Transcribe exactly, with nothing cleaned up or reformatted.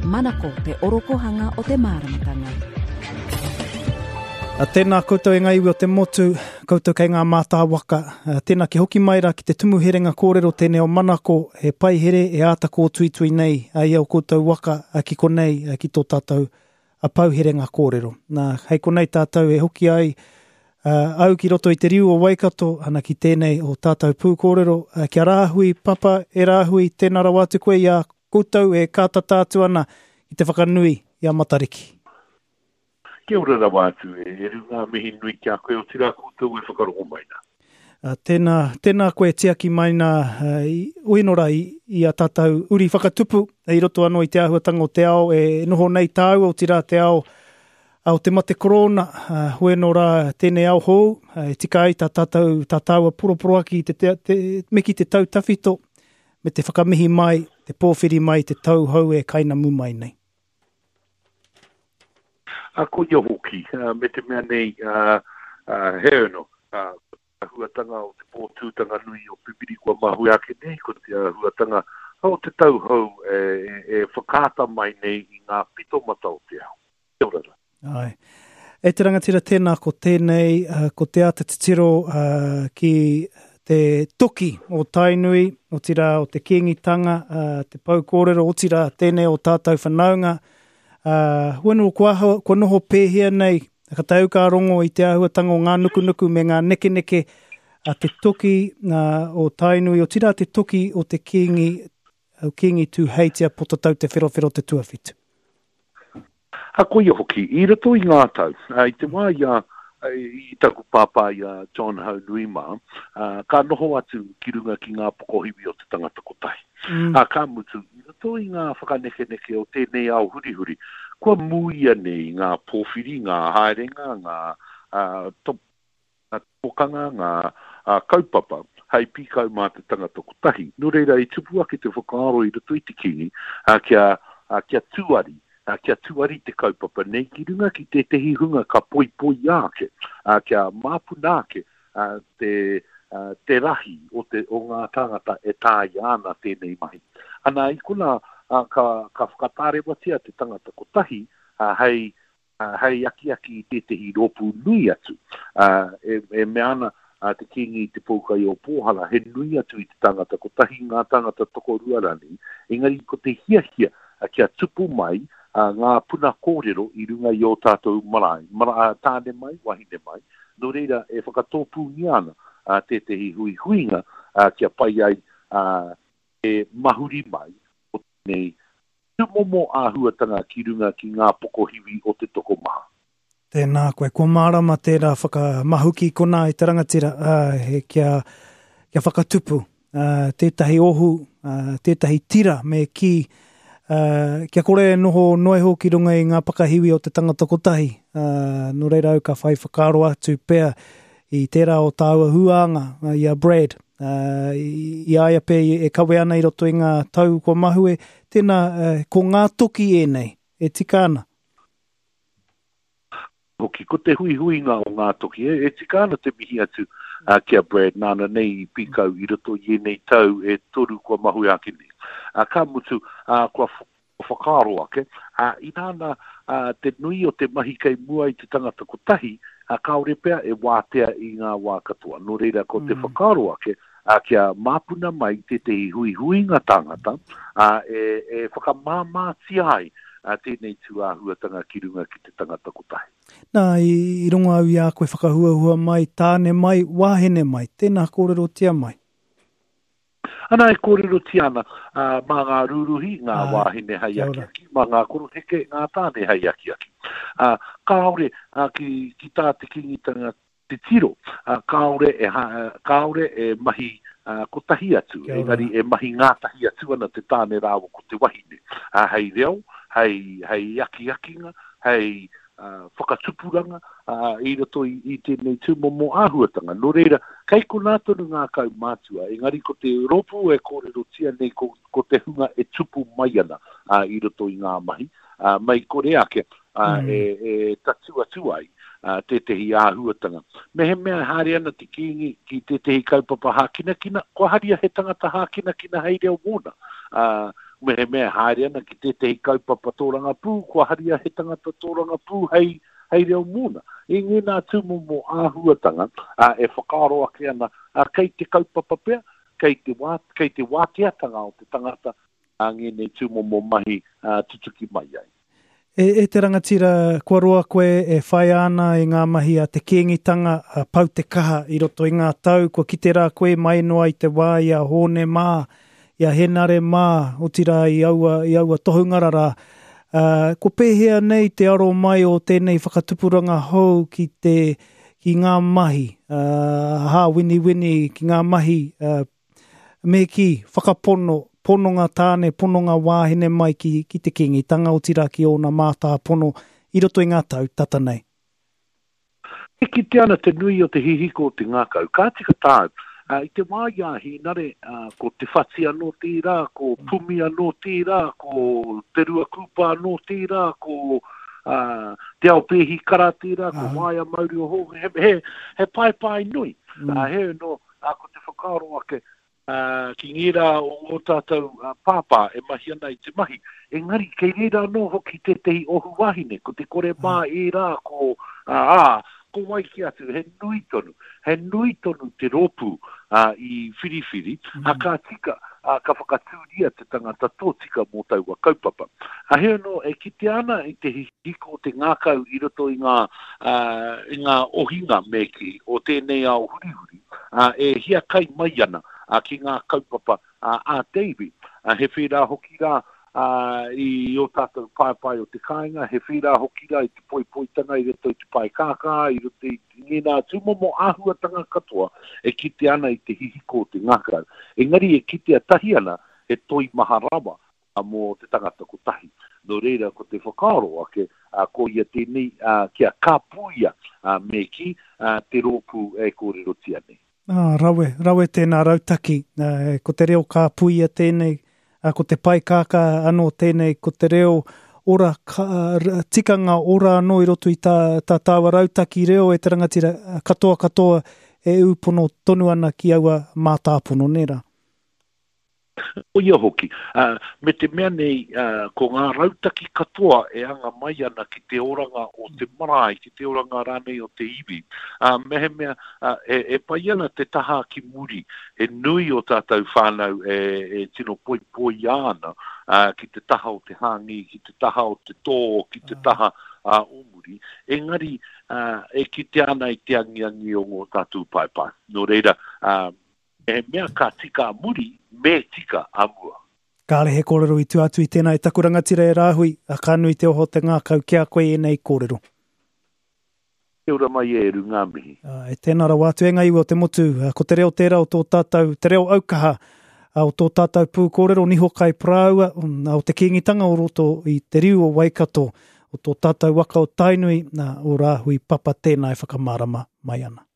Manako te orokohanga o te māramatanga. A tēnā koutou e ngā iwi o te motu, koutou kei ngā mātā waka. A tēnā ki hoki mai rā ki te tumu herenga kōrero tēnei o Manako, he paihere e āta kōtuitui nei a ia o koutou waka a ki konei a ki tō tātou a pau herenga kōrero. Nā, hei konei tātou e hoki ai uh, au ki roto i te riu o Waikato, ana ki tēnei o tātou pūkōrero, uh, kia rāhui, papa, e rāhui, tēnā rawa atu koe i a koutou e kātata atu ana i te whakanui i a Matariki. Kia ora rawa atu e, e runga mihi nui ki a koe o tira koutou e whakarongo mai nā. Uh, tēnā, tēnā koe tiaki mai nā uh, i, uinora i, i a tātou uri whakatupu i roto anō i te āhuatanga o te ao e noho nei tāua o tira te ao o te mate korona, uh, hueno rā tēnei ao hou, uh, e tika ai tā tātou, tā tāua poroporoaki te, te, te, me ki te tau tawhito, me te whakamihi mai, te pōwhiri mai, te tau hou e kainamu mai nei. A ko ia hoki, uh, me te mea nei, uh, uh, he ono, uh, huatanga o te pōtūtanga nui o Pipiri kua mahue ake nei, ko te huatanga o te tau hou e, e, e whakaata mai nei i ngā pitomata o te ao. Kia ora rā. Ai. E te rangatira tēnā ko tēnei, uh, ko te āta titiro uh, ki te toki o Tainui, otirā o te Kīngitanga, uh, te pau kōrero, otirā tēnei o tātou whanaunga. Uh, huano, kua, kua noho pēhea nei, ka tau ka rongo i te āhuatanga o ngā nukunuku me ngā nekeneke a te toki uh, o Tainui, otirā te toki o te Kīngi, o Kīngi Tūheitia Potatau Te Wherowhero Te Tuawhitu. A koia hoki, i roto i ngā tau, i te wā i a, i taku pāpā i a John Haunui mā, ka noho atu ki runga ki ngā pokohiwi o te tangata kotahi. Mm. A, ka mutu, i roto i ngā whakanekeneke o tēnei ao hurihuri, kua muia nei ngā pōwhiri, ngā haerenga, ngā uh, to, ngā tokanga, ngā uh, kaupapa, hei pīkau mā te tangata kotahi. Nō reira, i tupu ake te whakaaro i roto i te Kīngi, uh, kia, uh, kia tuari, uh, kia tuari te kaupapa nei ki runga ki tētehi hunga ka poipoi ake, uh, kia māpuna ake uh, te, uh, te rahi o, te, o ngā tāngata e tāia ana tēnei mahi. Ana i kona uh, ka, ka whakatārewatia te tangata kotahi uh, hei, uh, hei akiaki i tētehi rōpū nui atu. Uh, e, e mea ana uh, te Kīngi i te Poukai o Pōhara, he nui atu i te tangata kotahi ngā tangata tokorua rani, engari ko te hiahia uh, kia tupu mai uh, ngā puna kōrero i runga i o tātou marae, mara, tāne mai, wahine mai, nō reira e whakatōpūngia ana uh, tētehi huihuinga uh, kia pai ai uh, e mahuri mai o tēnei tūmomo āhuatanga ki runga ki ngā pokohiwi o te tokomaha. Tēnā koe, kua mārama tērā whakamahuki konā i te rangatira, uh, he kia, kia whakatupu, uh, tētahi ohu, uh, tētahi tira me ki, uh, kia kore e noho noeho ki runga i ngā pakahiwi o te tangata kotahi. Uh, nō reira au ka whai whakaaro atu pea i tērā o tāua huānga, uh, i a Brad, uh, i, i aia pe e kawe ana i roto i ngā tau kua mahue, tēnā, uh, ko ngā toki ēnei, e tika ana. Hoki, ko te huihuinga o ngā toki, e, e tika ana te mihi atu uh, ki a Brad, nāna nei i pīkau i roto i ēnei tau e toru kua mahue ake nei. Uh, ka mutu, uh, kua whakaaro ake, uh, i nāna uh, te nui o te mahi kei mua i te tangata kotahi, uh, kāore pea e wātea i ngā wā katoa. Nō reira, ko te mm. whakaaro ake, uh, kia māpuna mai tētehi huihuinga tāngata, uh, e, e whakamāmātia ai uh, tēnei tūāhuatanga ki runga ki te tangata kotahi. Nā, i, i rongo au i a koe whakahuahua mai, tāne mai, wāhine mai, tēnā kōrerotia mai. Ana e kōrerotia ana uh, mā ngā rūruhi, ngā ah, wāhine hei akiaki, mā ngā koroheke, ngā tāne hei akiaki. Uh, kāore uh, ki, ki tā te Kīngitanga te tiro, uh, kāore e, ha, kāore e mahi uh, kotahi atu, engari e mahi ngātahi atu ana te tāne rāua ko te wahine. Uh, hei reo, hei, hei akiakinga, hei uh, whakatupuranga uh, i roto i, i tēnei tūmomo āhuatanga. Nō reira, kei konā tonu ngā kaumātua, engari ko te rōpū e kōrerotia nei ko, ko te hunga e tupu mai ana uh, i roto i ngā mahi, uh, mai kore ake uh, mm. e, e tatu atu ai tētehi āhuatanga. Mehemea haere ana te Kīngi ki tētehi kaupapa hākinakina, kua haria he tangata hākinakina hei reo mōna. Mehemea haere ana ki tētehi kaupapa tōrangapū, kua haria he tangata tōrangapū hei, hei reo mōna. I ngēnā tūmomo āhuatanga e whakaaro ake ana, kei te kaupapa pea, kei te, wā, kei te wāteatanga o te tangata a ngēnei tūmomo mahi tutuki mai ai. E, e te rangatira, kua roa koe e whai ana i ngā mahi a te Kīngitanga, a pau te kaha i roto i ngā tau, kua kite rā koe mai noa i te wā i a Hōne mā, i a Henare mā, otirā i aua, i aua tohunga rā. Uh, ko pēhea nei te aro mai o tēnei whakatupuranga hou ki, te, ki ngā mahi, uh, hāwiniwini, ki ngā mahi, uh, me ki whakapono, pononga tāne, pononga wāhine mai ki, ki te Kīngitanga, otirā ki ōna mātāpono i roto i ngā tau tata nei. E kite ana te nui o te hihiko o te ngākau. Ka tika tāu, uh, i te wā i a Hīnare, uh, ko Te Whati anō tērā, ko Pumi anō tērā, ko Te Rua Kūpa anō tērā, ko uh, Te Ao Pēhi Kara tērā, ko Waia Mauri o Hō, he, he, he paepae nui. Mm. Uh, he no, uh, ko te whakaaro ake, Uh, ki ngērā o ngō tātou uh, pāpā e mahi ana i te mahi. Engari, kei reira anō hoki tētehi ohu wahine, ko te kore mā ērā, ko, uh, ā, ko wai ki atu, he nui tonu, he nui tonu te rōpū uh, i whiriwhiri, mm. a ka tika, uh, ka whakatūria te tangata tōtika mō taua kaupapa. A he anō, e kite ana i te hihiko o te ngākau i roto i ngā, uh, i ngā ohinga me ki o tēnei ao hurihuri, uh, e hiakai mai ana uh, ki ngā kaupapa uh, a te iwi. Uh, he whērā hoki rā uh, i o tātou paepae o te kāinga, he whērā hoki rā i te poipoitanga i roto i te pae kākā, i roto i ngēnā tūmomo āhuatanga katoa e kite ana i te hihiko o te ngākau. Engari e kitea tahi ana he toi maha rawa mō te tangata kotahi. Nō reira ko te whakaaro ake, uh, ko ia tēnei uh, kia kāpuia uh, me ki uh, te rōpū e kōrerotia nei. Ah, rawe, rawe tēnā rautaki. Uh, ko te reo kāpuia tēnei, uh, ko te pae kākā anō tēnei, ko te reo ora, ka, tikanga ora anō i roto i tā, tā tāua rautaki reo e te rangatira katoa katoa e ūpono tonu ana ki aua mātāpono nē rā. O ia hoki, uh, me te mea nei, uh, ko ngā rautaki katoa e anga mai ana ki te oranga o te marae, ki te oranga rānei o te iwi. Uh, mehemea, uh, e, e pai ana te taha ki muri, he nui o tātou whānau e, e tino poipoia ana uh, ki te taha o te hāngi, ki te taha o te tō, ki te taha uh, o muri. Engari, uh, e kite ana i te angiangi o ngō tātou paepae. Nō reira, uh, e mea ka tika a muri, me tika a mua. Kāre he kōrero i tua atu i tēnā e taku rangatira e Rāhui, a ka nui te oho te ngākau ki a koe ēnei kōrero. Kia ora mai e Eru, ngā mihi. E tēnā rawa atu e ngā iwi o te motu, ko te reo tērā o tō tātou, te reo aukaha o tō tātou pū kōrero niho kai parāua, o te Kīngitanga o roto i te riu o Waikato, o tō tātou waka o Tainui, o Rāhui Papa tēnā e whakamārama mai ana.